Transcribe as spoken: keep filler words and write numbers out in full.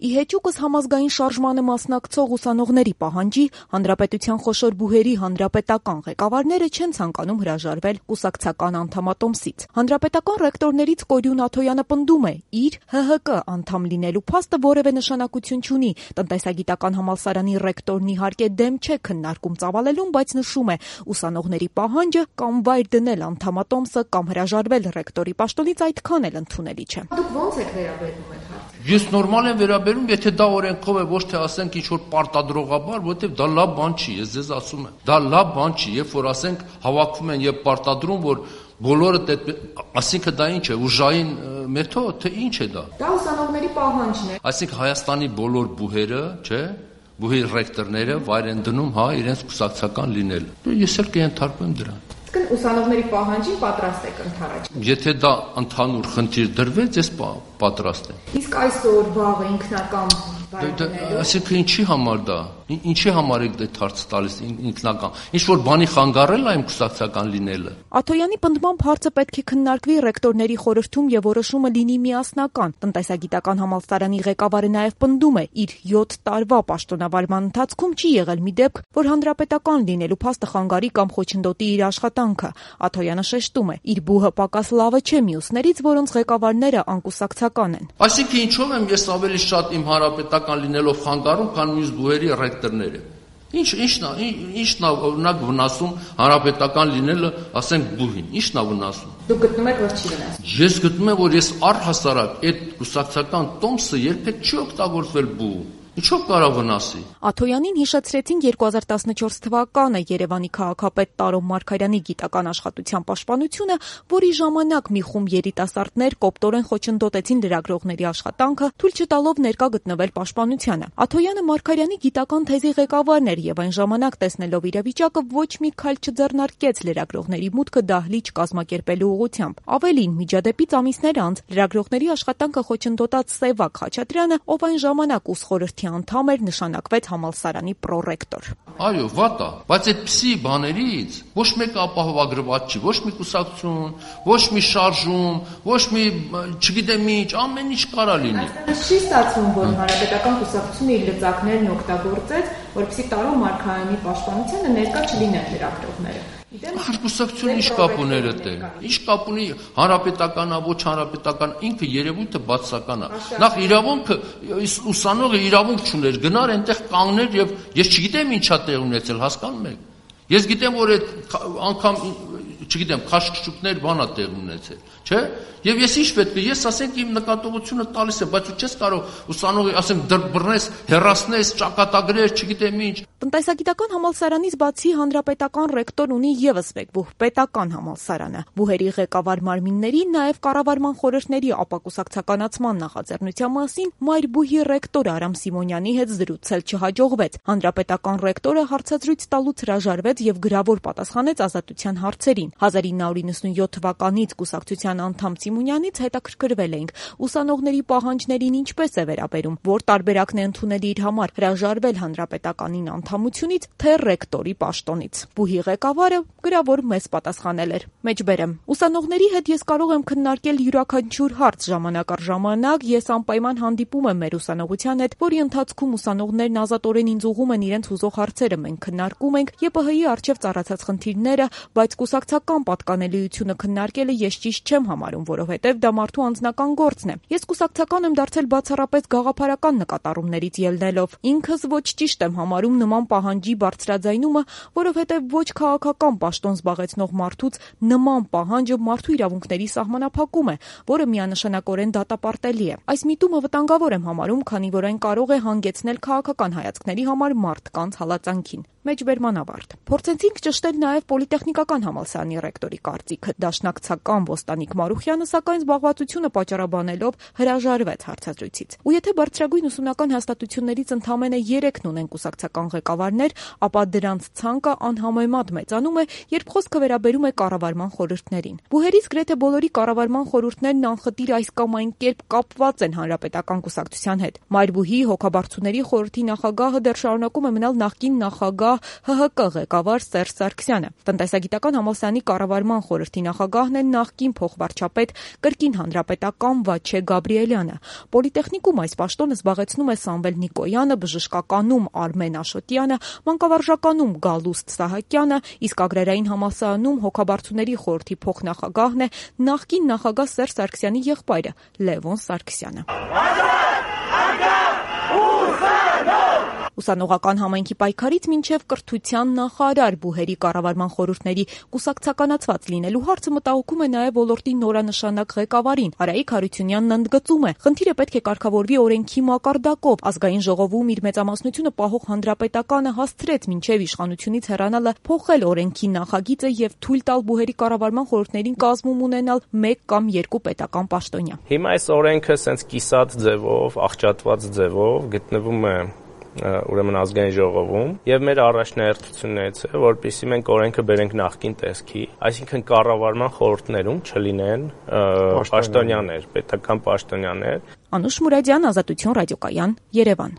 Ի հեճուկս համազգային շարժմանը մասնակցող ուսանողների պահանջի, հանրապետության խոշոր բուհերի հանրապետական ղեկավարները չեն ցանկանում հրաժարվել կուսակցական անդամատոմսից։ Հանրապետական ռեկտորներից Կորյուն Աթոյանը պնդում է, իր Հ Հ Կ անդամ լինելու փաստը որևէ նշանակություն չունի։ Տնտեսագիտական համալսարանի ռեկտորն իհարկե դեմ չէ քննարկում ծավալելուն, բայց նշում է, ուսանողների պահանջը կամ վայր դնել անդամատոմսը կամ հրաժարվել ռեկտորի պաշտոնից այդքան էլ ընդունելի չէ։ Դուք ո՞նց եք վերաբերվում այդ հարցին։ Ես նորմալ եմ վերաբերում, եթե դա օրենքով է, ոչ թե ասենք ինչ որ պարտադրողաբար, որովհետև դա լավ բան չի, ես ձեզ ասում եմ։ Դա լավ բան չի, երբ որ ասենք հավաքում են եւ պարտադրում, որ բոլորը ասինքն դա ինչ է, ուժային մեթոդ, թե ինչ է դա։ Դա ուսանողների պահանջն է։ Այսինքն Հայաստանի բոլոր բուհերը, չէ՞, բուհի ռեկտորները վայր են դնում, հա, իրենց կուսակցական լինել։ Ես էլ կենթարկվեմ դրան։ Իսկ ուսանողների պահանջին պատրաստ եք ընդառաջ։ Եթե դա ընդհանուր խնդիր դրվեց, ես պատրաստ եմ։ Իսկ այսօր վաղը ինքնական Այսինքն ինչի համար դա, ինչի համար եք այդ հարցը տալիս ինքնական, ինչ որ բանի խանգարել է իմ կուսակցական լինելը։ Աթոյանի պնդմամբ հարցը պետք է քննարկվի ռեկտորների խորհրդում եւ որոշումը լինի միասնական։ Տնտեսագիտական համալսարանի ղեկավարը նաեւ պնդում է, իր յոթ տարվա պաշտոնավարման ընթացքում չի եղել մի դեպք, որ հանրապետական լինելու փաստը խանգարի կամ խոչընդոտի իր աշխատանքը։ Աթոյանը շեշտում է, իր բուհը պակաս լավը չէ մյուսներից, որոնց ղեկավարները անկուսակցական են։ Այսինքն ինչով եմ ես ավելի շատ իմ հանրապետական լինելով խանգարում, քան մյուս բուհերի ռեկտորները։ Ինչ ինչն է, ինչն է օրինակ վնասում հանրապետական լինելը, ասենք բուհին, ինչն է վնասում։ Դուք գտնում եք, որ չի վնասում։ Ես գտնում եմ, որ ես առհասարակ այդ կուսակցական տոմսը երբեք չի օգտագործվել բուհ։ Ինչով կարող վնասի։ Աթոյանին հիշեցրեցին երկու հազար տասնչորս թվականը Երևանի քաղաքապետ Տարոն Մարգարյանի գիտական աշխատության պաշտպանությունը, որի ժամանակ մի խումբ երիտասարդներ կոպտորեն խոչընդոտեցին լրագրողների աշխատանքը, թույլ չտալով ներկա գտնվել պաշտպանությանը։ Աթոյանը Մարգարյանի գիտական թեզի ղեկավարն էր եւ այն ժամանակ տեսնելով իրավիճակը ոչ մի քայլ չձեռնարկեց լրագրողների մուտքը դահլիճ կազմակերպելու ուղղությամբ։ Ավելին, միջադեպից ամիսներ անց լրագրողների աշխատանքը խոչընդոտած Սևակ Խաչատրյանը, ով այն ժամանակ ուսխորհրդի անդամ էր, նշանակվեց համալսարանի պրոռեկտոր։ Այո, վատ է, բայց այդպիսի բաներից ոչ մեկը ապահովագրված չի, ոչ մի կուսակցություն, ոչ մի շարժում, ոչ մի, չգիտեմ ինչ, ամեն ինչ կարա լինի։ Չի ստացվում, որ հանրապետական կուսակցությունը իր լծակներն օգտագործեց, որպեսզի Տարոն Մարգարյանի պաշտպանությանը ներկա չլինեն լրագրողները։ Կուսակցությունը ինչ կապ ուներ այդտեղ։ Ինչ կապ ունի հանրապետականա, ոչ հանրապետական, ինքը երևույթը բացասական է։ Նախ իրավունքը ուսանողը իրավունք չուներ, գնար այնտեղ կանգներ եւ ես չգիտեմ ինչա տեղ ունեցել, հասկանում եք։ Ես գիտեմ, որ այդ անգամ, չգիտեմ, քաշքշուկներ բանա տեղ ունեցել, չէ՞։ Եվ ես ինչ պետք է, ես ասենք իմ նկատողությունը տալիս եմ, բայց ու չես կարող ուսանողի, ասենք դրբռնես, հեռացնես, ճակատագրեր, չգիտեմ ինչ։ Տնտեսագիտական համալսարանից բացի հանրապետական ռեկտոր ունի եւս մեկ բուհ, պետական համալսարանը։ Բուհերի ղեկավար մարմինների, նաեւ կառավարման խորհրդների ապակուսակցականացման նախաձեռնության մասին մայր բուհի ռեկտոր Արամ Սիմոնյանի հետ զրուցել չհաջողվեց։ Հանրապետական ռեկտորը հարցազրույց տալուց հրաժարվեց եւ գրավոր պատասխանեց ազատության հարցերին։ հազար ինը հարյուր նվաթ թվականից կուսակցության անդամ Սիմոնյանից հետաքրքրվել էինք ուսանողների պահանջներին ինչպես է վերաբերում, որ տարբերակն է ընդունելի իր համար հրաժարվել հանրապետականին անդամությունից, թե ռեկտորի պաշտոնից։ Բուհի ղեկավարը գրավոր մեզ պատասխանել էր. Մեջբերեմ, ուսանողների հետ ես կարող եմ քննարկել յուրաքանչյուր հարց ժամանակ առ ժամանակ, ես անպայման հանդիպում եմ մեր ուսանողության հետ, որի ընթացքում ուսանողներն ազատորեն ինձ ուղղում են իրենց հուզող հարցերը, մենք քննարկում ենք Ե Պ Հ-ի առջև ծառացած խնդիրները, բայց կուսակցական պատկանելիությունը քննարկելը ես ճիշտ չեմ համարում, որովհետև դա մարդու անձնական գործն է։ Ես կուսակցական եմ դարձել բացառապես գաղափարական նկատառումներից ելնելով։ Ինքս ոչ ճիշտ եմ համարում նման պահանջի բարձրաձայնումը, որովհետև ոչ քաղաքական պաշտոն զբաղեցնող մարդուց նման պահանջը մարդու իրավունքների սահմանափակում է, որը միանշանակորեն դատապարտելի է։ Այս միտումը վտանգավոր եմ համարում, քանի որ այն կարող է հանգեցնել քաղաքական հայացքների համար մարդկանց հալածանքին։ Մեջբերման ավարտ։ Փորձեցինք ճշտել նաև պոլիտեխնիկական համալսարանի ռեկտորի կարծիքը։ Դաշնակցական Ոստանիկ Մարուխյանը, սակայն զբաղվածությունը պատճառաբանելով հրաժարվեց հարցազրույցից։ Ու եթե բարձրագույն ուսումնական հաստատություններից ընդամենը երեքն ունեն կուսակցական ղեկավարներ, ապա դրանց ցանկը անհամեմատ մեծանում է, երբ խոսքը վերաբերում է կառավարման խորհուրդներին։ Բուհերից գրեթե բոլորի կառավարման խորհուրդներն անխտիր այս կամ այն կերպ կապված են հանրապետական կուսակցության հետ։ Մայր բուհի հոգաբարձուների խորհրդի նախագահը դեռ շարունակում է մնալ նախկին նախագահ նախագահ Հ Հ Կ ղեկավար Սերժ Սարգսյանը։ Տնտեսագիտական համալսարանի կառավարման խորհրդի նախագահն է նախկին փոխվարչապետ կրկին հանրապետական Վաչե Գաբրիելյանը։ Պոլիտեխնիկում այս պաշտոնը զբաղեցնում է Սամվել Նիկոյանը, բժշկականում Արմեն Աշոտյանը, մանկավարժականում Գալուստ Սահակյանը, իսկ Ագրարային համալսարանում հոգաբարձուների խորհրդի փոխնախագահն է նախկին նախագահ Սերժ Սարգսյանի եղբայրը Լևոն Սարգսյանը։ Ուսանողական համայնքի պայքարից մինչև կրթության նախարար բուհերի կառավարման խորհուրդների կուսակցականացված լինելու հարցը մտահոգում է նաև ոլորտի նորանշանակ ղեկավարին։ Արայիկ Հարությունյանն ընդգծում է, խնդիրը պետք է կարգավորվի օրենքի մակարդակով։ Ազգային ժողովում իր մեծամասնությունը պահող հանրապետականը հասցրեց մինչև իշխանությունից հեռանալը փոխել օրենքի նախագիծը եւ թույլ տալ բուհերի կառավարման խորհուրդներին կազմում ունենալ մեկ կամ երկու պետական պաշտոնյա։ Հիմա այս օրենքը սենց կիսած ձևով, աղճատված ձևով գտնվում է ուրեմն ազգային ժողովում եւ մեր առաջնահերթություններից է, որպեսզի մենք օրենքը բերենք նախկին տեսքի, այսինքն կառավարման խորհուրդներում չլինեն պաշտոնյաներ, պետական պաշտոնյաներ։ Անուշ Մուրադյան, Ազատություն ռադիոկայան, Երևան։